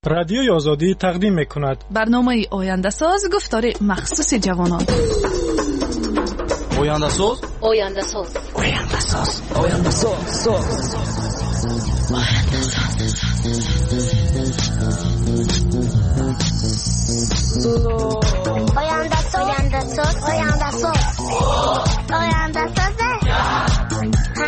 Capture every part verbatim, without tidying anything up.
Радиои Озодӣ тақдим мекунад барномаи Ояндасоз, гуфтори махсуси ҷавонон. Ояндасоз, Ояндасоз, Ояндасоз, Ояндасоз, Ояндасоз, Ояндасоз, Ояндасоз, Ояндасоз.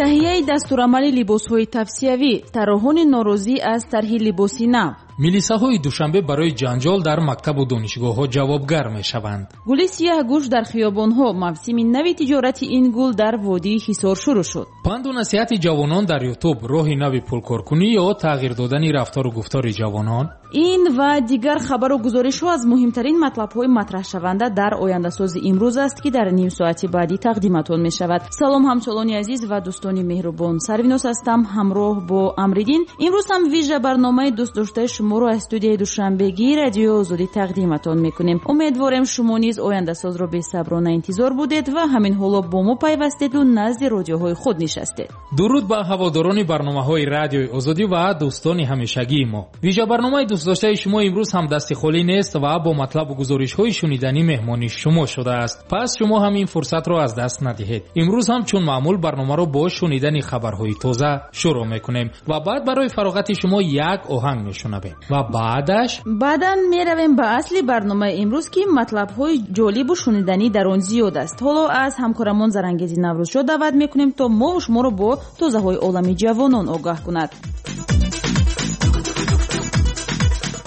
Таҳияи дастурамали либосҳои тавсиявӣ, тарроҳони норозӣ аз тарҳи либоси нав. Милисаҳои Душанбе барои ҷанҷол дар мактабу донишгоҳҳо ҷавобгар мешаванд. Гули сияҳгӯш дар хиёбонҳо, мавсими нави тиҷорати ин гул дар водии Ҳисор шурӯъ шуд. Панду насиҳати ҷавонон дар Ютуб, роҳи нави пулкоркунӣ ё тағйир додани рафтору гуфтори ҷавонон. Ин ва дигар хабару гузоришҳо аз муҳимтарин матлабҳои матраҳшаванда дар Ояндасози имрӯз аст, ки дар ним соати баъдӣ тақдиматон мешавад. Салом ҳамсолони азиз ва дӯстони меҳрубон. Сарвиноз ҳастам ҳамроҳ бо Амриддин. Имрӯз ҳам вижа барномаи дӯстдоштаи шуморо аз студияи Душанбегии Радиои Озодӣ тақдиматон мекунем. Умедворем шумо низ Ояндасозро бесаброна интизор будед ва ҳамин ҳоло бо мо пайвастеду назди радиоҳои худ нишастед. Дуруд ба ҳаводорони барномаҳои Радиои Озодӣ ва дӯстони ҳамешагии мо. Вижа барномаи дӯстдоштаи шумо имрӯз ҳам дасти холӣ нест ва бо матлабу гузоришҳои шуниданӣ меҳмони шумо шудааст. Пас шумо ҳам ин фурсатро аз даст надиҳед. Имрӯз ҳам чун маъмул барномаро бо шунидани хабарҳои тоза шурӯъ мекунем ва баъд барои фароғати шумо як оҳанг мешунавем ва баъдаш баъдан меравем ба асли барномаи имрӯз, ки матлабҳои ҷолибу шуниданӣ дар он зиёд аст. Ҳоло аз ҳамкорамон Зарангези Наврӯзшо даъват мекунем, то мо шуморо бо тозаҳои олами ҷавонон огаҳ кунад.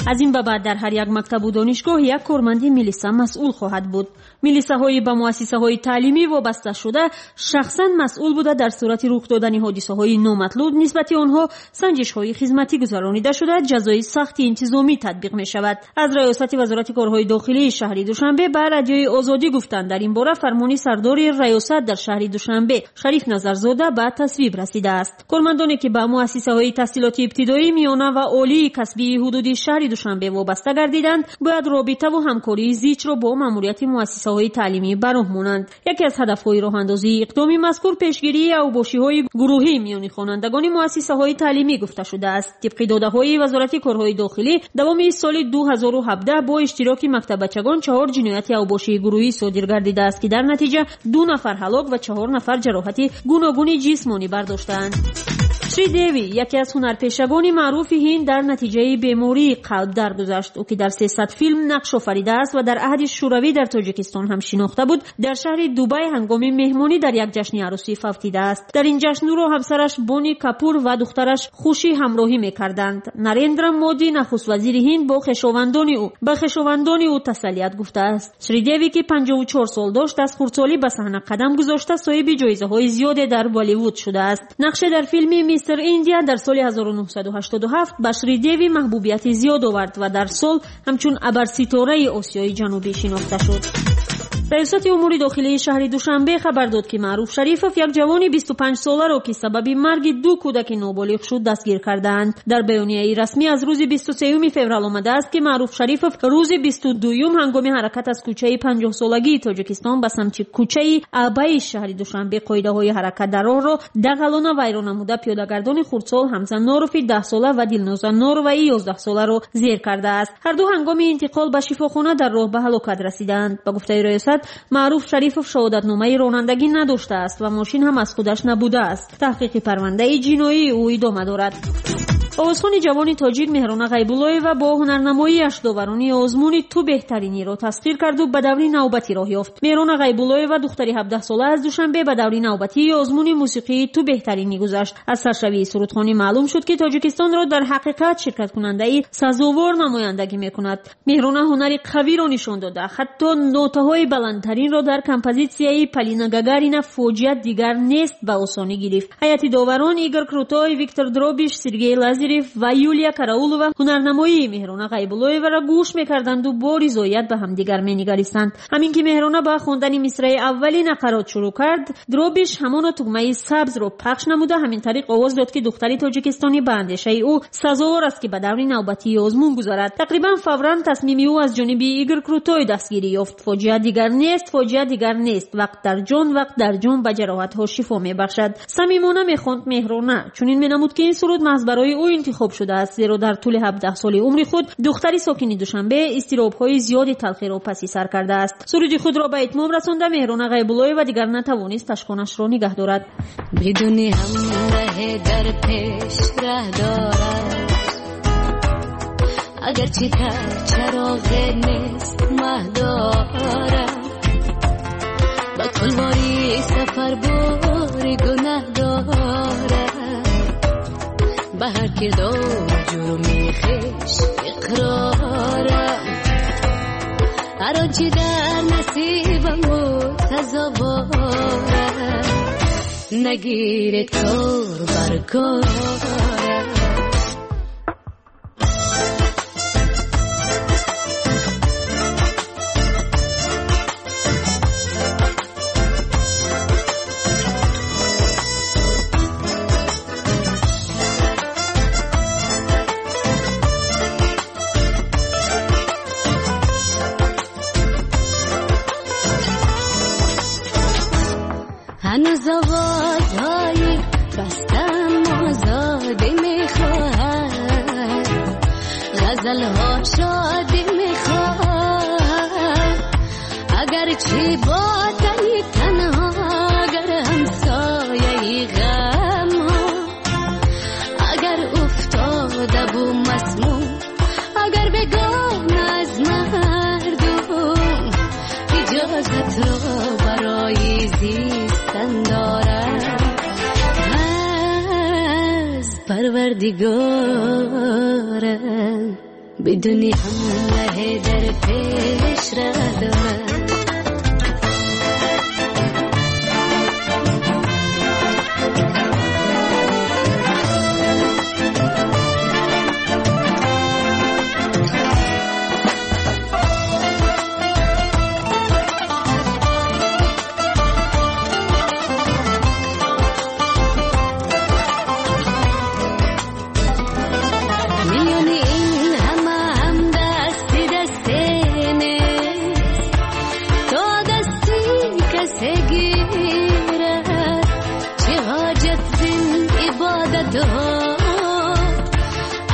Аз ин ба баъд дар ҳар як мактабу донишгоҳ як корманди милиса масъул хоҳад буд. Милисаҳои ба муассисаҳои таълимӣ вобаста шуда шахсан масъул буда, дар сурати рух додани ҳодисаҳои номатлуб нисбати онҳо санҷишҳои хизматӣ гузаронида шуда, ҷазои сахти интизомӣ татбиқ мешавад. Аз раёсати Вазорати корҳои дохилии шаҳри Душанбе ба Радиои Озодӣ гуфтанд, дар ин бора фармони сардори раёсат дар шаҳри Душанбе Шариф Назарзода ба тасвиб расидааст. Кормандоне ки ба муассисаҳои таҳсилоти ибтидоӣ, миёна ва олии касбии ҳудуди шаҳри Душанбе вобаста гардиданд, бояд робитаву ҳамкории зичро бо маъмурияти муассисаҳои таълимӣ ба роҳ монанд. Яке аз ҳадафҳои роҳандозии иқдоми мазкур пешгирии авбошиҳои гурӯҳӣ миёни хонандагони муассисаҳои таълимӣ гуфта шудааст. Тибқи додаҳои Вазорати корҳои дохилӣ, давоми соли ду ҳазору ҳабдаҳ бо иштироки мактаббачагон чаҳор ҷинояти авбошии гурӯҳӣ содир гардидааст, ки дар натиҷа ду нафар ҳалок ва чаҳор нафар ҷароҳати гуногуни ҷисмонӣ бардоштаанд. Шри Деви, яке аз ҳунарпешагони маъруфи Ҳинд, дар натиҷаи бемории қалб даргузашт. Ӯ ки дар сесад филм нақш офаридааст ва дар аҳди Шӯравӣ дар Тоҷикистон ҳам шинохта буд, дар шаҳри Дубай ҳангоми меҳмонӣ дар як ҷашни арӯсӣ фавтидааст. Дар ин ҷашн ӯро ҳамсараш Бони Капур ва духтараш Хушӣ ҳамроҳӣ мекарданд. Нарендра Моди, нахуствазири Ҳинд, бо хешовандони ӯ ба хешовандони ӯ тасаллият гуфтааст. Шри Деви, ки панҷоҳу чор сол дошт, аз хурдсолӣ ба саҳна қадам гузошта, соҳиби ҷоизаҳои зиёде дар Болливуд шудааст. Нақше дар филми Мистер Индия дар соли ҳазору нӯҳсаду ҳаштоду ҳафт ба Шри Деви маҳбубияти зиёд овард ва дар сол ҳамчун абарситораи Осиёи Ҷанубӣ шинохта шуд. Раёсати умури дохилии шаҳри Душанбе хабар дод, ки Маъруф Шарифов, як ҷавони бисту панҷ соларо, ки сабаби марги ду кӯдаки ноболиғ шуд, дастгир кардаанд. Дар баёнияи расмӣ аз рӯзи бисту сеюми феврал омадааст, ки Маъруф Шарифов рӯзи бисту дуюм ҳангоми ҳаракат аз кӯчаи панҷоҳсолагии Тоҷикистон ба самти кӯчаи Абаи шаҳри Душанбе қоидаҳои ҳаракат дар роҳро дағалона вайрон намуда, пиёдагардони хурдсол Ҳамза Норофи даҳсола ва Дилноза Нороваи ёздаҳсоларо зер кардааст. Ҳар ду ҳангоми интиқол ба шифохона дар роҳ ба ҳалокат расидаанд. Ба гуфтаи раёсат, Маъруф Шарифов шаҳодатномаи ронандагӣ надоштааст ва мошин ҳам аз худаш набудааст. Таҳқиқи парвандаи ҷиноии ӯ идома дорад. Овозхони ҷавони тоҷик Меҳрона Ғайбуллоева бо ҳунарнамоиаш доварони озмуни «Ту беҳтариниро» тасхир карду ба даври навбатӣ роҳ ёфт. Меҳрона Ғайбуллоева, духтари ҳабдаҳсола аз Душанбе, ба даври навбатии озмуни мусиқии «Ту беҳтаринӣ» гузашт. Аз саршавии сурудхонӣ маълум шуд, ки Тоҷикистонро дар ҳақиқат ширкаткунандаи сазовор намояндагӣ мекунад. Меҳрона ҳунари қавиро нишон дода, ҳатто нотаҳои баландтаринро дар композитсияи Полина Гагарина «Фоҷиа дигар нест» ба осонӣ гирифт. Ҳайати доварон Игор Крутой, Виктор Дробиш, Сергей Лазарев Назиров ва Юлия Караулова ҳунарнамоии Меҳрона Ғайбуллоеваро гӯш мекарданду бо ризоят ба ҳамдигар менигаристанд. Ҳамин ки Меҳрона ба хондани мисраи аввали нақарот шурӯъ кард, Дробиш ҳамоно тугмаи сабзро пахш намуда ҳамин тариқ овоз дод, ки духтари тоҷикистонӣ ба андешаи ӯ сазовор аст, ки ба даври навбатии озмун гузарад. Тақрибан фавран тасмими ӯ аз ҷониби Игор Крутой дастгирӣ ёфт. Фоҷиа дигар нест, фоҷиа дигар нест. Вақт дар ҷон, вақт дар ҷон ба ҷароҳатҳо шифо мебахшад. Самимона мехонд Меҳрона. Чунин менамуд, ки ин суруд маҳз барои ӯ интихоб шудааст, зеро дар тӯли ҳабдаҳ соли умри худ духтари сокини Душанбе изтиробҳои зиёди талхиро паси сар кардааст. Суруди худро ба итмом расонда Меҳрона Ғайбуллоева дигар натавонист ташхонашро нигаҳ дорад. Бидуни ҳамраҳе дар пеш раҳ дорад, агарчи дар чароғе нест маҳ дорад, ба кулвори сафар бори гунаҳ дорад, ба ҳар кирдор ҷурми хеш иқрорам, ҳар он чи дар насибам буд сазоворам, нагиред кор бар корам. هنوز آوازهای بستم آزادی میخواهد، غزلها شادی میخواهد، اگرچه با تنی تنها، اگر همسایه غم ها، اگر افتاده و مسموم، اگر بگانه از مردم، اجازت را برای زیستن دارم از پروردگارم، بدونی همراه در پیش را دارم.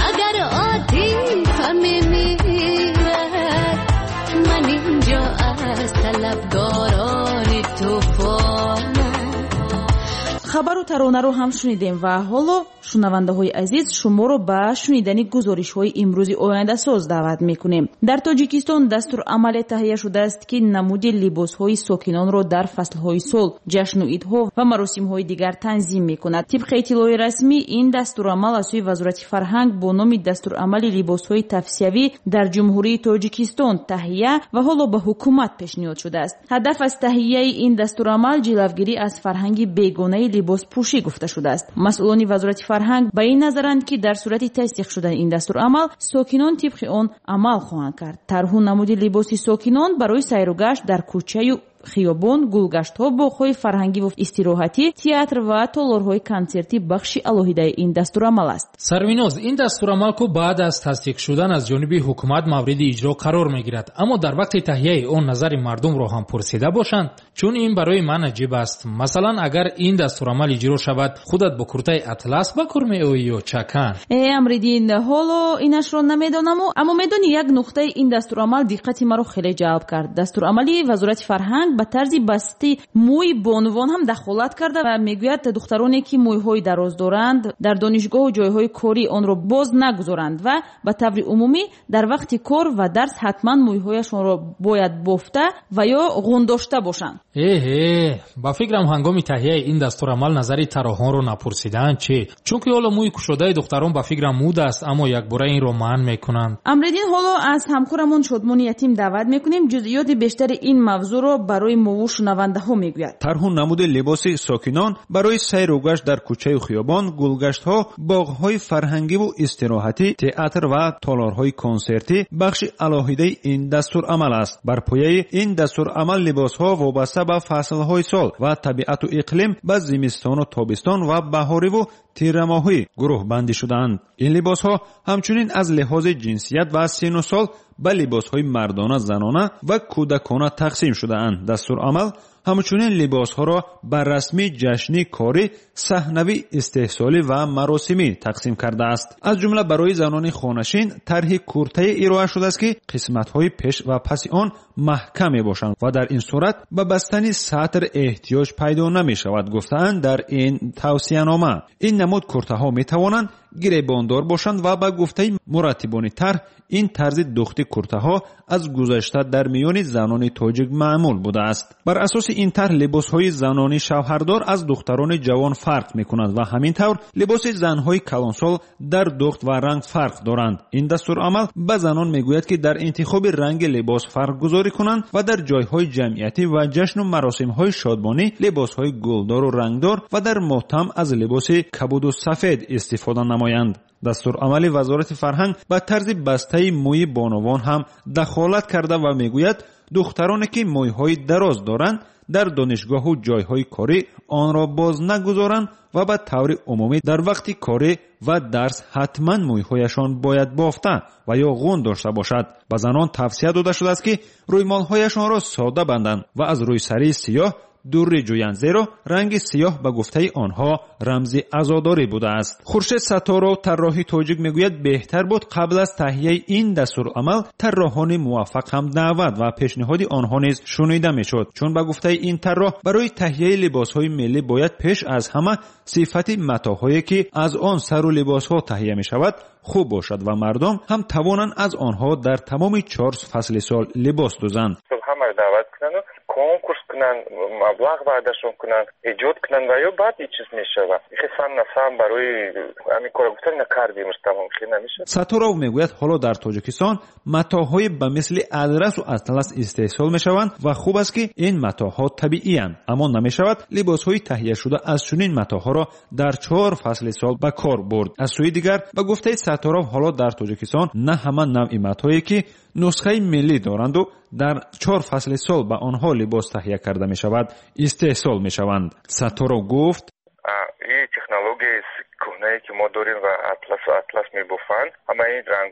اگر عاطفه میمیرد، من اینجا از طلبگاران طوفانم. Хабару таронаро ҳам шунидем ва ҳоло шунавандаҳои азиз шуморо ба шунидани гузоришҳои имрӯзи ояндасоз даъват мекунем. Дар Тоҷикистон дастурамале таҳия шудааст, ки намуди либосҳои сокинонро дар фаслҳои сол, ҷашну идҳо ва маросимҳои дигар танзим мекунад. Тибқи иттилои расмӣ, ин дастурамал аз сӯи Вазорати фарҳанг бо номи дастурамали либосҳои тавсиявӣ дар Ҷумҳурии Тоҷикистон таҳия ва ҳоло ба ҳукумат пешниҳод шудааст. Ҳадаф аз таҳияи ин дастурамал ҷилавгирӣ аз фарҳанги бегонаи либоспӯшӣ гуфта шудааст. Масъулони Вазорати фарҳанг ба ин назаранд, ки дар сурати тасдиқ шудани ин дастурамал сокинон тибқи он амал хоҳанд кард. Тарҳу намуди либоси сокинон барои сайругашт дар кӯчаю хиёбон, гулгаштҳо, боғҳои фарҳангӣ ва истироҳатӣ, театр ва толорҳои консертӣ бахши алоҳидаи ин дастурамал аст. Сарвиноз, ин дастурамал ку баъд аз тасдиқ шудан аз ҷониби ҳукумат мавриди иҷро қарор мегирад, аммо дар вақти таҳияи он назари мардумро ҳам пурсида бошанд, чун ин барои ман аҷиб аст. Масалан, агар ин дастурамал иҷро шавад, худат бо куртаи атлас ба кор меоӣ ё чакан? Э, Амриддин, ҳоло инашро намедонаму, аммо медонӣ як нуқтаи ин дастурамал диққати маро хеле ҷалб кард. Дастурамали Вазорати фарҳанг ба тарзи басти мӯи бонувон ҳам дахолат карда ва мегӯяд духтароне ки мӯйҳои дароз доранд дар донишгоҳу ҷойҳои корӣ онро боз нагузоранд ва ба таври умумӣ дар вақти кор ва дарс ҳатман мӯйҳояшонро бояд бофта ва ё ғундошта бошанд. Эҳе, ба фикрам ҳангоми таҳияи ин дастурамал назари тарроҳонро напурсидаанд чӣ? Чунки ҳоло мӯи кушодаи духтарон ба фикрам муд аст, аммо якбора инро манъ мекунанд. Амриддин, ҳоло аз ҳамкорамон Шодмони Ятим даъват мекунем ҷузъиёти бештари ин мавзӯъро барои барои мову шунавандаҳо мегӯяд. Тарҳу намуди либоси сокинон барои сайру гашт дар кӯчаю хиёбон, гулгаштҳо, боғҳои фарҳангиву истироҳатӣ, театр ва толорҳои консертӣ бахши алоҳидаи ин дастурамал аст. Бар пояи ин дастурамал либосҳо вобаста ба фаслҳои сол ва табиату иқлим ба зимистону тобистон ва баҳориву тирамоҳӣ гурӯҳбандӣ шудаанд. Ин либосҳо ҳамчунин аз лиҳози ҷинсият ва сину сол ба либосҳои мардона, занона ва кӯдакона тақсим шудаанд. Дастурамал ҳамчунин либосҳоро ба расмӣ, ҷашнӣ, корӣ, саҳнавӣ, истеҳсолӣ ва маросимӣ тақсим кардааст. Аз ҷумла барои занони хонашин тарҳи куртае ироа шудааст, ки қисматҳои пеш ва паси он маҳкам мебошанд ва дар ин сурат ба бастани сатр эҳтиёҷ пайдо намешавад, гуфтаанд дар ин тавсиянома. Ин намуд куртаҳо метавонанд гиребондор бошанд ва ба гуфтаи мураттибони тарҳ ин тарзи духти куртаҳо аз гузашта дар миёни занони тоҷик маъмул будааст. Бар асоси ин тарҳ либосҳои занони шавҳардор аз духтарони ҷавон фарқ мекунанд ва ҳамин тавр либоси занҳои калонсол дар духт ва ранг фарқ доранд. Ин дастурамал ба занон мегӯяд, ки дар интихоби ранги либос фарқгузорӣ кунанд ва дар ҷойҳои ҷамъиятӣ ва ҷашну маросимҳои шодмонӣ либосҳои гулдору рангдор ва дар мотам аз либоси кабуду сафед истифода намоянд. Дастурамали Вазорати фарҳанг ба тарзи бастаи мӯи бонувон ҳам дахолат карда ва мегӯяд, духтароне ки мӯйҳои дароз доранд дар донишгоҳу ҷойҳои корӣ онро боз нагузоранд ва ба таври умумӣ дар вақти корӣ ва дарс ҳатман мӯйҳояшон бояд бофта ва ё ғун дошта бошад. Ба занон тавсия дода шудааст, ки рӯймолҳояшонро сода банданд ва аз рӯйсарии сиёҳ дурӣ ҷӯянд, зеро ранги сиёҳ ба гуфтаи онҳо рамзи азодорӣ будааст. Хуршед Сатторов, тарроҳи тоҷик, мегӯяд беҳтар буд қабл аз таҳияи ин дастурамал тарроҳони муваффақ ҳам даъват ва пешниҳоди онҳо низ шунида мешуд, чун ба гуфтаи ин тарроҳ барои таҳияи либосҳои миллӣ бояд пеш аз ҳама сифати матоъҳое ки аз он сару либосҳо таҳия мешавад хуб бошад ва мардум ҳам тавонанд аз онҳо дар тамоми чор фасли сол либос дӯзанд. Ҳамаро даъват кунанд, конкурс кунанд, маблағ ваъдашон кунанд, эҷод кунанд ва ё баъд ин чиз мешавад. Хе сам на сам барои ҳамин кора гуфтан накардем, тамом хе намешавад. Сатторов мегӯяд ҳоло дар Тоҷикистон матоъҳои ба мисли адрасу атлас истеҳсол мешаванд ва хуб аст, ки ин матоъҳо табииянд, аммо намешавад либосҳои таҳияшуда аз чунин матоъҳоро дар чор фасли сол ба кор бурд. Аз сӯи дигар, ба гуфтаи Сатторов, ҳоло дар Тоҷикистон на ҳама навъи матоъе ки нусхаи миллӣ доранду дар чор фасли сол ба онҳо либос таҳия карда мешавад истеҳсол мешаванд. Сатторов гуфт: ин технологияи кӯҳнае ки мо дорем ва атласу атлас мебофанд, ҳама ин ранг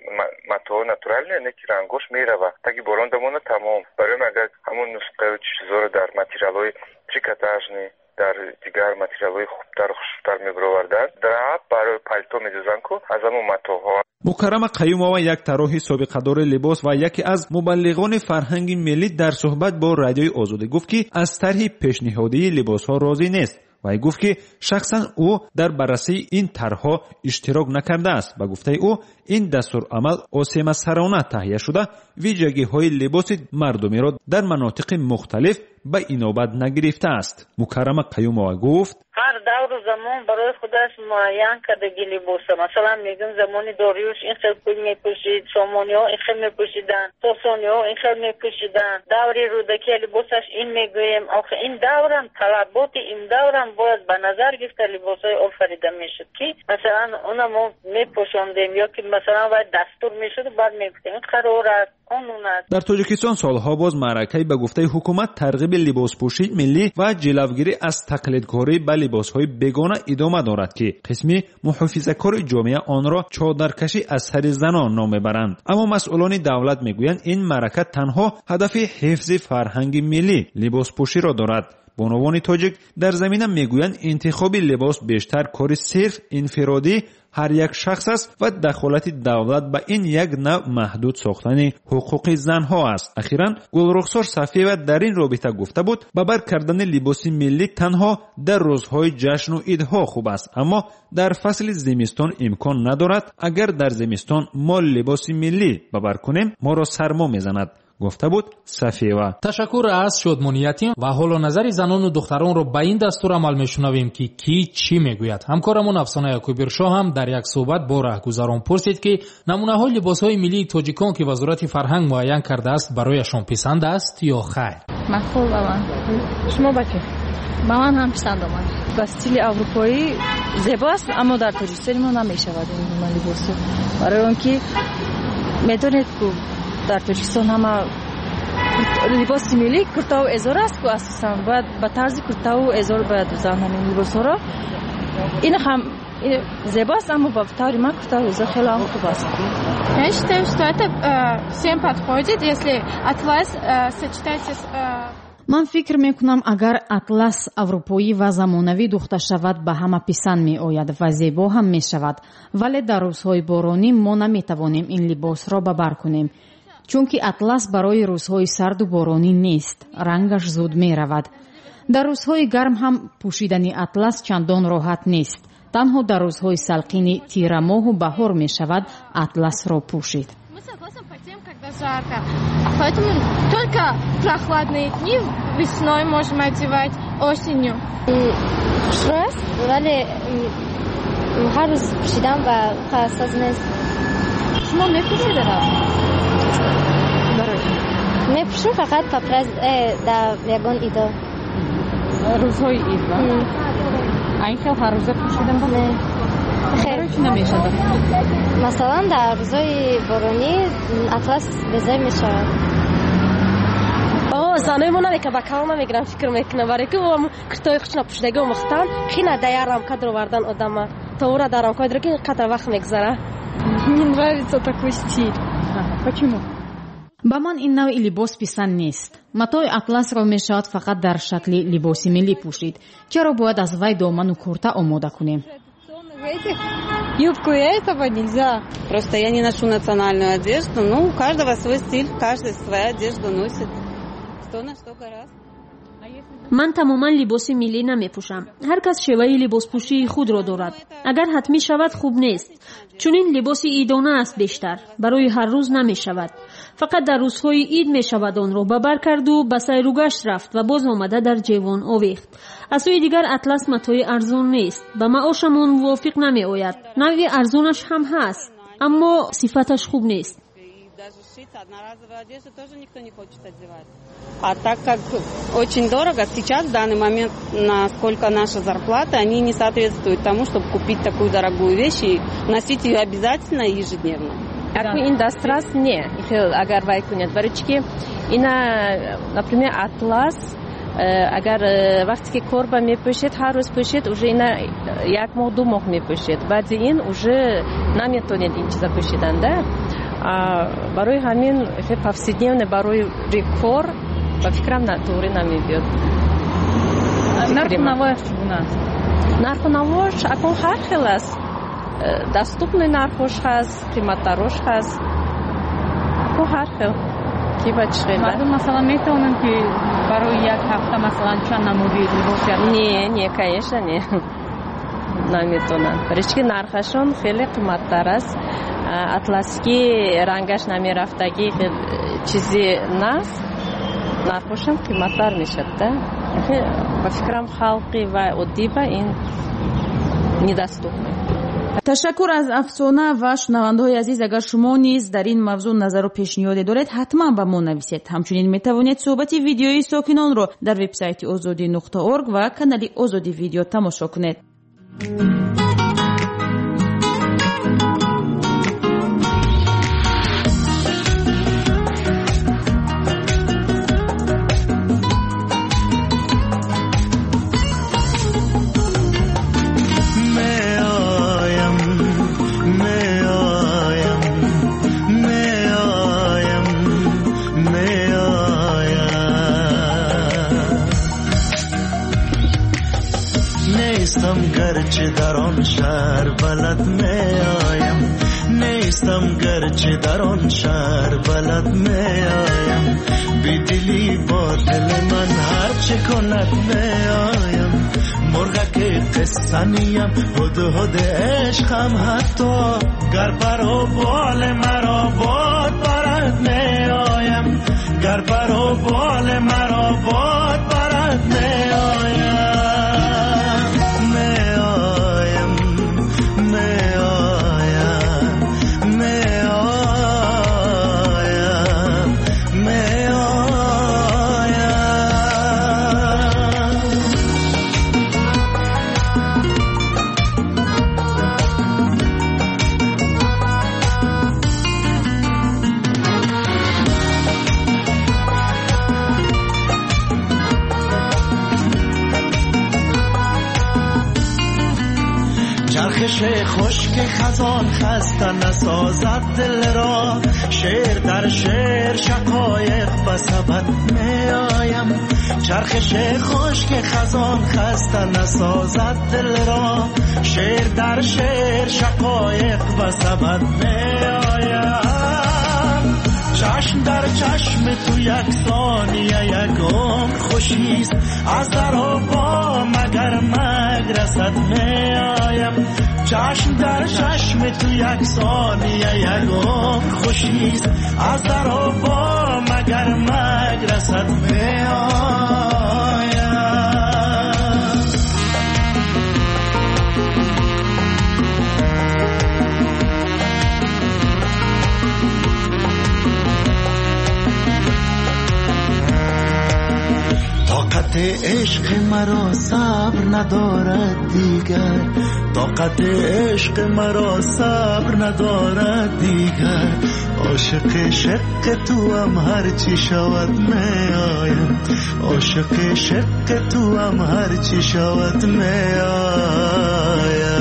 матоъ натуралне, не ки рангош мерава, таги борон дамона тамом. Барои агар ҳамон нусхаю чизҳоро дар материалҳои трикотажни, дар дигар материалҳои хубтар, хушрӯтар мебароварданд, драп барои палто медӯзанд ку аз ҳамон матоъҳо. Мукаррама Қаюмова, як тарроҳи собиқадори либос ва яке аз мубаллиғони фарҳанги миллӣ, дар суҳбат бо Радиои Озодӣ гуфт, ки аз тарҳи пешниҳодии либосҳо розӣ нест. Вай гуфт, ки шахсан ӯ дар баррасии ин тарҳҳо иштирок накардааст. Ба гуфтаи ӯ ин дастурамал осемасарона таҳия шуда, вижагиҳои либоси мардумиро дар манотиқи мухталиф ба инобат нагирифтааст. Мукаррама Қаюмова гуфт: ҳар давру замон барои худаш муайян кардаги либоса. Масалан, мегӯм замони Дориюш ин хел пул мепӯшид, сомониҳо ин хел мепӯшиданд, сосониҳо ин хел мепӯшиданд, даври Рӯдакия либосаш ин мегӯем. Охи ин даврам талаботи ин даврам бояд ба назар гирифта либосҳои офарида мешуд, ки масалан она мо мепӯшондем ё ки масалан вай дастур мешуд, баъд мегуфтем ин қарор аст, қонун аст. Дар Тоҷикистон солҳо боз маъракаи ба гуфтаи ҳукумат тарғиби либоспӯшии миллӣ ва ҷилавгирӣ аз тақлидкорӣ ба либосҳои бегона идома дорад, ки қисми муҳофизакори ҷомеа онро чодаркашӣ аз сари занон ном мебаранд. Аммо масъулони давлат мегӯянд ин маърака танҳо ҳадафи ҳифзи фарҳанги миллӣ либоспӯширо дорад. Бонувони тоҷик дар замина мегӯянд интихоби либос бештар кори сирф инфиродӣ ҳар як шахс аст ва дахолати давлат ба ин як навъ маҳдуд сохтани ҳуқуқи занҳо аст. Ахиран Гулрухсор Сафиева дар ин робита гуфта буд, ба бар кардани либоси миллӣ танҳо дар рӯзҳои ҷашну идҳо хуб аст, аммо дар фасли зимистон имкон надорад. Агар дар зимистон мо либоси миллӣ ба бар кунем, моро сармо мезанад, гуфта буд Сафиева. Ташаккур аз шодмониятим ва ҳоло назари занону духтаронро ба ин дастурамал мешунавем, ки кӣ чӣ мегӯяд. Ҳамкорамон Афсона Якубиршоҳ ҳам дар як суҳбат бо раҳгузарон пурсид, ки намунаҳои либосҳои миллии тоҷикон, ки Вазорати фарҳанг муайян кардааст, барояшон писанд аст ё хайр. Маъқул ба ман. Шумо ба чӣ? Ба ман ҳам писанд омад. Ба стили аврупоӣ зебо аст, аммо дар Тоҷикистони мо намешавад ин гуна либосҳо. Барои он ки медонед, ку дар Тоҷикистон ҳама либоси миллӣ куртаву эзор аст, ку асосан бояд ба тарзи куртаву эзор бояд дӯзанд ҳамин либосҳоро. Ин ҳам зебо аст, аммо ба таври ман куртаву эзор хеле ҳам хуб аст. Я считаю, что это э, всем подходит, если атлас э, сочетается с э, Ман фикр мекунам, агар атлас аврупоӣ ва замонавӣ духта шавад, ба ҳама писанд меояд ва зебо ҳам мешавад. Вале дар рӯзҳои боронӣ мо наметавонем ин либосро ба бар кунем, чунки атлас барои рӯзҳои сарду боронӣ нест, рангаш зуд меравад. Дар рӯзҳои гарм ҳам пӯшидани атлас чандон роҳат нест. Танҳо дар рӯзҳои салқини тирамоҳу баҳор мешавад атласро пӯшид. Мы согласны по тем, когда жарко. Поэтому только прохладные дни весной можем одевать, осенью. Хушрӯ аст, вале ҳар рӯз пӯшидан ба соз нест. Шумо мепӯшед? Барои чӣ? Мепӯшем фақат по э, дар ягон идо. Рӯзҳои ид ва? А ин хел ҳар рӯза пӯшидан ба? Не. Барои чӣ намешавад? Масалан, дар рӯзҳои боронӣ атлас безеб мешавад. Занои мо намека ба калон намегирам, фикр мекунам, барои ки куртои хушна пӯшидаги омӯхтан хина дар як рамка даровардан одама то ӯра дар рамка ки қадр вақт мегузара. Мне нравится такой стиль. Почему? Ба ман ин навъи либос писанд нест. Матои атласро мешавад фақат дар шакли либоси миллӣ пӯшид. Чаро бояд аз вай доману курта омода кунем? Юбку этого нельзя. Просто я не ношу национальную одежду. Ну, у каждого свой стиль, каждый свою одежду носит. Кто на что горазд. Ман тамоман либоси миллӣ намепӯшам. Ҳар кас шеваи либоспӯшии худро дорад. Агар ҳатмӣ шавад, хуб нест. Чунин либоси идона аст бештар, барои ҳар рӯз намешавад. Фақат дар рӯзҳои ид мешавад онро ба бар карду ба сайру гашт рафт ва боз омада дар ҷевон овехт. Аз сӯи дигар, атлас матои арзон нест, ба маошамон мувофиқ намеояд. Навъи арзонаш ҳам ҳаст, аммо сифаташ хуб нест. Даже шить одноразовую одежду тоже никто не хочет одевать. А так как очень дорого, сейчас в данный момент, насколько наша зарплата, они не соответствуют тому, чтобы купить такую дорогую вещь и носить ее обязательно и ежедневно. Акун ин дастрас не, агар вай кунед. Барои чӣ ки ина, например, атлас, агар вақте ки корба мепӯшед, ҳар рӯз пӯшед, уже ина як моҳ, ду моҳ мепӯшед. Баъди ин уже наметонед ин чиза пӯшидан, да? Барои ҳамин повседневно барои кор ба фикрам туғри намебиёд. Нарху навояш чӣ гуна аст? Нарху навош акун ҳар хел аст. Доступный нархош ҳаст, қиматтарош ҳаст. Акун ҳар хел. Ки ба чӣ хел? Мардум масалан метавонанд ки барои як ҳафта масалан чанд намуди либос? Не, не, конечно, не. Наметавонанд. Барои чӣ ки нархашон хеле қиматтар аст. Атласки рангаш намерафтагӣ чизи наст, нархошам қиматтар мешавад, да? Ба фикрам, халқи ва оддӣ ба ин недоступно. Ташаккур аз Афсона. Ва шунавандаҳои азиз, агар шумо низ дар ин мавзӯъ назару пешниҳоде доред, ҳатман ба мо нависед. Ҳамчунин метавонед суҳбати видеои сокинонро дар вебсайти озодӣ нуқта орг ва канали Озодӣ Видео тамошо кунед. نیستم گرچه در آن شهر بلد می آیم، نیستم گرچه در آن شهر بلد می آیم، بیدلی با دل من هرچه کند می آیم، مرغک قصه نیم هدهد عشقم حتی گر پر و بال مرا باد برد می آیم، گر پر و بال مرا باد برد می آیم. می آیم می آیم می آیم. خشک خزان خسته نسازد دل را، شعر در شعر شقایق به سبد می آیم. چرخش خشک خزان خسته نسازد دل را، شعر در شعر شقایق به سبد می آیم. چشم در چشم تو یک ثانیه یک عمر خوشیست، از در و با مگر مگ رسد می آیم. چشم در چشم تو یک ثانیه یک عمر خوشیست، از در و با مگر مگ رسد می آیم. طاقت عشق مرا صبر ندارد دیگر، طاقت عشق مرا صبر ندارد دیگر. عاشق شق تو هم هرچی شود می آیم، عاشق شق تو هم هرچی شود می آیم.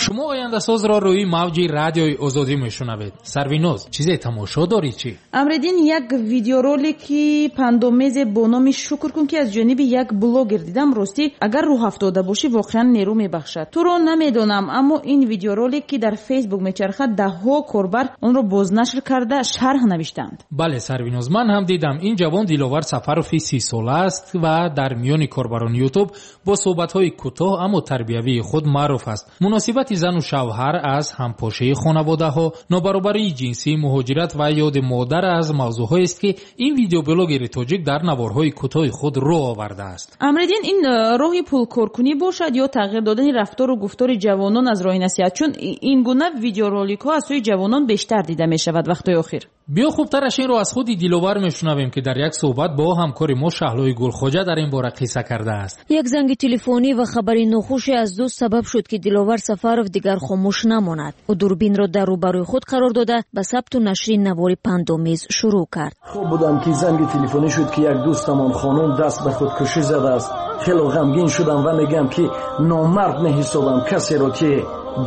Шумо ояндасозро рӯи мавҷи радиои Озодӣ мешунавед. Сарвиноз, чизе тамошо дорӣ чӣ? Амриддин, як видеоролики пандомезе бо номи «Шукр кун», ки аз ҷониби як блогер дидам. Ростӣ, агар рӯҳафтода бошӣ, воқеан нерӯ мебахшад. Туро намедонам, аммо ин видеоролик, ки дар Фейсбук мечархад, даҳҳо корбар онро бознашр карда шарҳ навиштанд. Бале, Сарвиноз, ман ҳам дидам. Ин ҷавон Диловар Сафарови сисола аст ва дар миёни корбарони Ютуб бо суҳбатҳои кӯтоҳ аммо тарбиявии худ маъруф аст. Муносибати зану шавҳар аз ҳампошии хонаводаҳо, нобаробарии ҷинсӣ, муҳоҷират ва ёди модар аз мавзӯъҳоест, ки ин видеоблогери тоҷик дар наворҳои кӯтоҳи худ рӯ овардааст. Амриддин, ин роҳи пулкоркунӣ бошад ё тағйир додани рафтору гуфтори ҷавонон аз роҳи насиҳат? Чун ин гуна видеороликҳо аз сӯи ҷавонон бештар дида мешавад вақтҳои охир. Биё хубтараш инро аз худи Диловар мешунавем, ки дар як суҳбат бо ҳамкори мо Шаҳлои Гулхоҷа дар ин бора қисса кардааст. Як занги телефонӣ ва хабари нохуше аз дӯст сабаб шуд, ки Диловар Сафаров дигар хомӯш намонад. Ӯ дурбинро дар рӯбарӯи худ қарор дода, ба сабту нашри навори пандомез шурӯъ кард. Хоб будам, ки занги телефонӣ шуд, ки як дӯстамон хонум даст ба худкушӣ задааст. Хело ғамгин шудам ва мегӯям, ки номард меҳисобам касеро, ки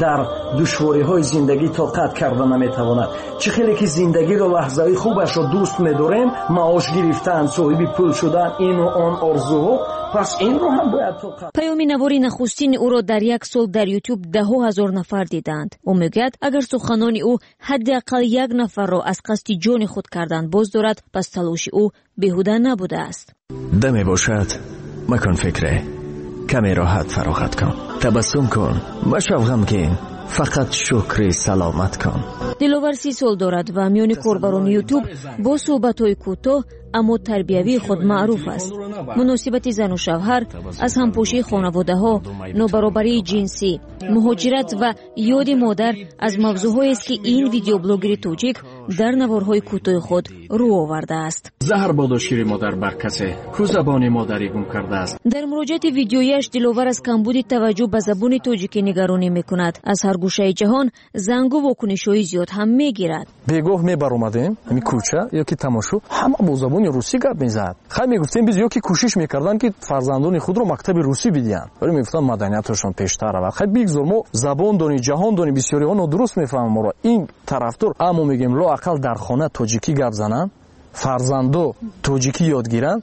дар душвориҳои зиндагӣ тоқат карда наметавонад. Чӣ хеле ки зиндагиро, лаҳзаи хубашро дӯст медорем, маош гирифтан, соҳиби пул шудан, ину он орзуҳо, пас инро ҳам бояд тоқат. Паёми навори нахустини ӯро дар як сол дар Ютуб даҳҳо ҳазор нафар диданд. Ӯ мегӯяд, агар суханони ӯ ҳадди ақал як нафарро аз қасди ҷони худ кардан боз дорад, пас талоши ӯ беҳуда набудааст. Даме бошад, макун фикре, каме роҳат фароғат кун, табассум кун, машав ғамгин, фақат шукри саломат кун. Диловар си сол дорад ва миёни корбарони Ютуб бо суҳбатҳои кӯтоҳ аммо тарбиявии худ маъруф аст. Муносибати зану шавҳар аз ҳампошии хонаводаҳо, нобаробарии ҷинсӣ, муҳоҷират ва ёди модар аз мавзӯъҳоест, ки ин видеоблогери тоҷик дар наворҳои кӯтоҳи худ рӯ овардааст. Заҳр бодо шири модар бар касе, ку забони модарӣ гум кардааст. Дар муроҷиати видеояш Диловар аз камбуди таваҷҷӯҳ ба забони тоҷикӣ нигаронӣ мекунад. Аз ҳар гӯшаи ҷаҳон зангу вокунишҳои зиёд ҳам мегирад. Бегоҳ мебаромадем ҳамин кӯча ё ки тамошо, ҳама бо забони русӣ гап мезад. Хай мегуфтем биз, ё ки кӯшиш мекарданд, ки фарзандони худро мактаби русӣ бидиҳанд, вале мегуфтанд маданияташон пештар равад. Хай бигзор мо забон дони, ҷаҳон дони, бисёриҳо нодуруст мефаҳманд моро. Ин тарафдор, аммо мегӯем лоақал дар хона тоҷикӣ гап зананд, фарзандо тоҷикӣ ёд гиранд.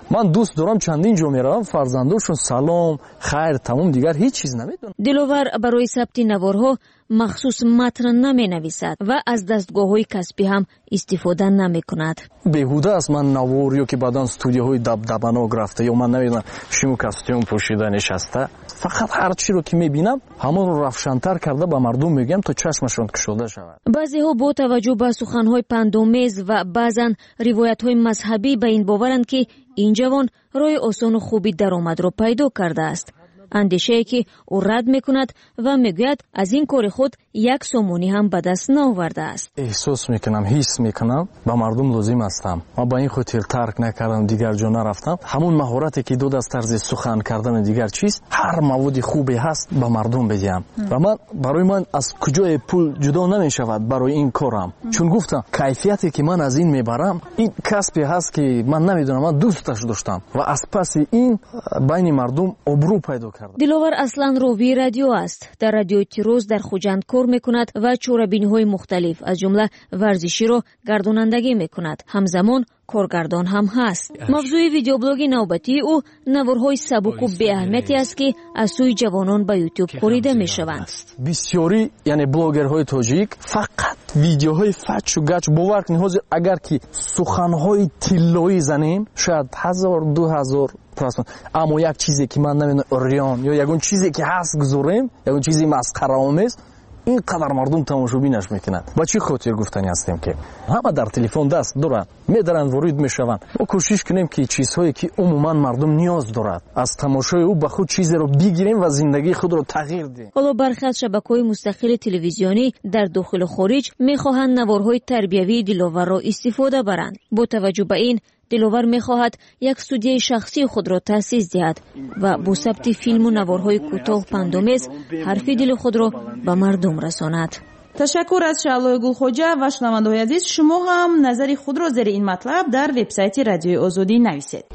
Ман дӯст дорам, чандин ҷо меравам, фарзандошон салом, хайр, тамом, дигар ҳеҷ чиз намедонанд. Диловар барои сабти наворҳо махсус матн наменависад ва аз дастгоҳҳои касбӣ ҳам истифода намекунад. Беҳуда аст ман навор ё ки баъдан студияҳои дабдабанок рафта, ё ман намедонам шиму костюм пӯшида нишаста. Фақат ҳар чиро ки мебинам, ҳамонро равшантар карда ба мардум мегӯям, то чашмашон кушода шавад. Баъзеҳо бо таваҷҷӯҳ ба суханҳои пандомез ва баъзан ривоятҳои мазҳабӣ ба ин боваранд, ки ин ҷавон роҳи осону хуби даромадро пайдо кардааст. Андешае ки ӯ рад мекунад ва мегӯяд аз ин кори худ як сомонӣ ҳам ба даст наовардааст. Эҳсос мекунам, ҳис мекунам ба мардум лозим ҳастам. Ман ба ин хотир тарк накардам, дигар ҷо нарафтам. Ҳамон маҳорате ки дод аз тарзи сухан кардан ва дигар чиз, ҳар маводи хубе ҳаст ба мардум бидиҳам. Ва ман барои ман аз куҷое пул ҷудо намешавад барои ин корам. Чун гуфтам кайфияте ки ман аз ин мебарам, ин касбе ҳаст ки ман намедонам, ман дӯсташ доштам ва аз паси ин байни мардум обрӯ пайдо кардам. Диловар аслан ровии радио аст. Дар радиои Тироз дар Хуҷанд кор мекунад ва чорабиниҳои мухталиф аз ҷумла варзиширо гардонандагӣ мекунад. Ҳамзамон коргардон ҳам ҳаст. Мавзӯи видеоблоги навбатии ӯ наворҳои сабуку беаҳамияте аст, ки аз сӯи ҷавонон ба ютуб корида мешаванд. Бисёрӣ, яъне блогерҳои тоҷик фақат видеоҳои фачу гач, бовар кунед, ҳозир агар ки суханҳои тиллоӣ занем, шояд ҳазор, ду ҳазор просмотр. Аммо як чизе ки ман намедонам, урён ё ягон чизе ки ҳаст гузорем, ягон чизи масхараомез, ин қадар мардум тамошобинаш мекунад. Ба чӣ хотир гуфтанӣ ҳастем, ки ҳама дар телефон даст доранд, медаранд, ворид мешаванд. Мо кӯшиш кунем, ки чизҳое ки умуман мардум ниёз дорад, аз тамошои ӯ ба худ чизеро бигирем ва зиндагии худро тағйир диҳем. Ҳоло бархе аз шабакаҳои мустақили телевизионӣ дар дохилу хориҷ мехоҳанд наворҳои тарбиявии Диловарро истифода баранд. Бо таваҷҷӯҳ ба ин, Диловар мехоҳад як студияи шахсии худро таъсис диҳад ва бо сабти филму наворҳои кӯтоҳ пандомез ҳарфи дили худро ба мардум расонад. Ташаккур аз Шаълои Гулхоҷа ва шунавандаҳои азиз, шумо ҳам назари худро зери ин матлаб дар вебсайти Радиои Озодӣ нависед.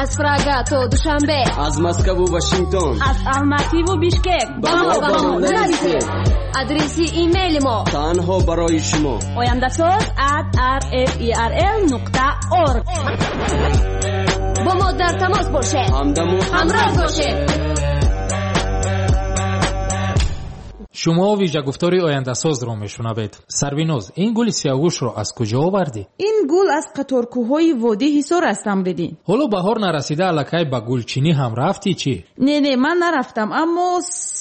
Аз Прага то Душанбе, аз Москву Вашингтон, аз Алмативу Бишкек ба мо ба мо нависед. Адреси имейли мо танҳо барои шумо ояндасоз at r f e r l нуқта org. Бо мо дар тамос бошед, ҳамдаму ҳамроҳ бошед. Шумо вижагуфтори ояндасозро мешунавед. Сарвиноз, ин гули сиёҳгӯшро аз куҷо овардӣ? Ин гул аз қаторкӯҳҳои водии Ҳисор аст, Амриддин. Ҳоло баҳор нарасида аллакай ба гулчинӣ ҳам рафтӣ чӣ? Не, не, ман нарафтам, аммо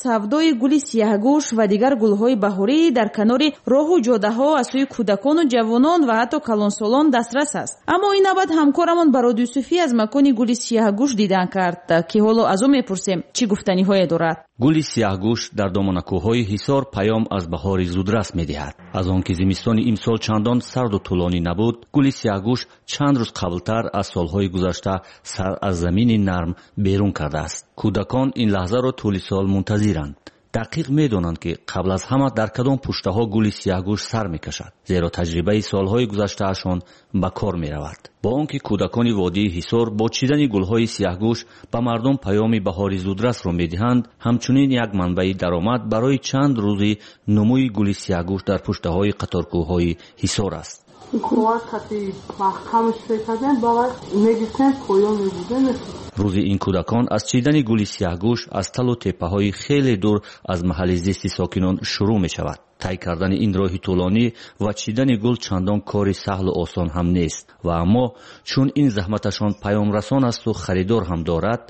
савдои гули сиёҳгӯш ва дигар гулҳои баҳорӣ дар канори роҳу ҷодаҳо аз сӯи кӯдакону ҷавонон ва ҳатто калонсолон дастрас аст. Аммо ин навбат ҳамкорамон Барод Юсуфӣ аз макони гули сиёҳгӯш дидан кард, ки ҳоло аз ӯ мепурсем чӣ гуфтаниҳое дорад. Гули сиёҳгӯш дар доманакӯҳҳои Ҳисор паём аз баҳори зудрас медиҳад. Аз он ки зимистони имсол чандон сарду тӯлонӣ набуд, гули сиёҳгӯш чанд рӯз қаблтар аз солҳои гузашта сар аз замини нарм берун кардааст. Кӯдакон ин лаҳзаро тӯли сол мунтазиранд. Дақиқ медонанд, ки қабл аз ҳама дар кадом пуштаҳо гули сиёҳгӯш сар мекашад, зеро таҷрибаи солҳои гузаштаашон ба кор меравад. Бо он ки кӯдакони водии Ҳисор бо чидани гулҳои сиёҳгӯш ба мардум паёми баҳори зудрасро медиҳанд, ҳамчунин як манбаи даромад барои чанд рӯзи нумӯи гули сиёҳгӯш дар пуштаҳои қаторкӯҳҳои Ҳисор аст. Рӯзи ин кӯдакон аз чидани гули сиёҳгӯш аз талу теппаҳои хеле дур аз маҳалли зисти сокинон шурӯъ мешавад. Тай кардани ин роҳи тӯлонӣ ва чидани гул чандон кори саҳлу осон ҳам нест. Ва аммо чун ин заҳматашон паёмрасон асту харидор ҳам дорад,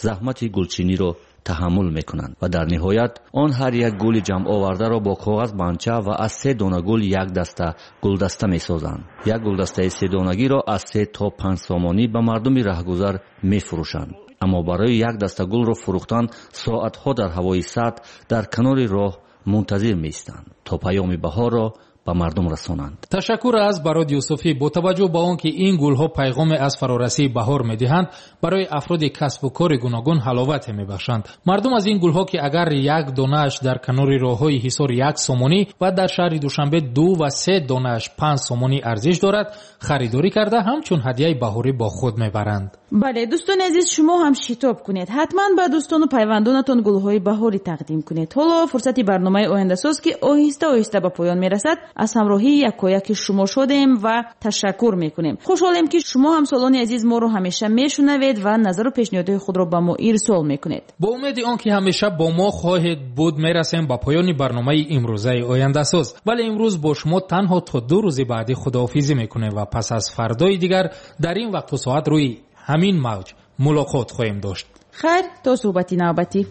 заҳмати гулчиниро таҳаммул мекунанд ва дар ниҳоят он ҳар як гули ҷамъовардаро бо коғаз банча ва аз се дона гул як даста гулдаста месозанд. Як гулдастаи седонагиро аз се то панҷ сомонӣ ба мардуми раҳгузар мефурӯшанд. Аммо барои як даста гулро фурӯхтан соатҳо дар ҳавои сард дар канори роҳ мунтазир меистанд, то паёми баҳорро ба мардум расонанд. Ташаккур аз Барод Юсуфӣ. Бо таваҷҷӯҳ ба он ки ин гулҳо пайғоме аз фарорасии баҳор медиҳанд, барои афроди касбу кори гуногун ҳаловате мебахшанд. Мардум аз ин гулҳо, ки агар як донааш дар канори роҳҳои Ҳисор як сомонӣ ва дар шаҳри Душанбе ду ва се донааш панҷ сомонӣ арзиш дорад, харидорӣ карда ҳамчун ҳадияи баҳорӣ бо худ мебаранд. Бале, дӯстони азиз, шумо ҳам шитоб кунед. Ҳатман ба дӯстону пайвандонатон гулҳои баҳорӣ тақдим кунед. Ҳоло фурсати барномаи ояндасоз, ки оҳиста оҳиста ба поён мерасад, аз ҳамроҳии якояки шумо шудем ва ташаккур мекунем. Хушҳолем, ки шумо ҳамсолони азиз моро ҳамеша мешунавед ва назару пешниҳодҳои худро ба мо ирсол мекунед. Бо умеди он ки ҳамеша бо мо хоҳед буд, мерасем ба поёни барномаи имрӯзаи ояндасоз. Вале имрӯз бо шумо танҳо то ду рӯзи баъдӣ худоҳофизӣ мекунем ва пас аз фардои дигар дар ин вақту соат рӯи ҳамин мавҷ мулоқот хоҳем дошт. Хайр, то суҳбати навбатӣ.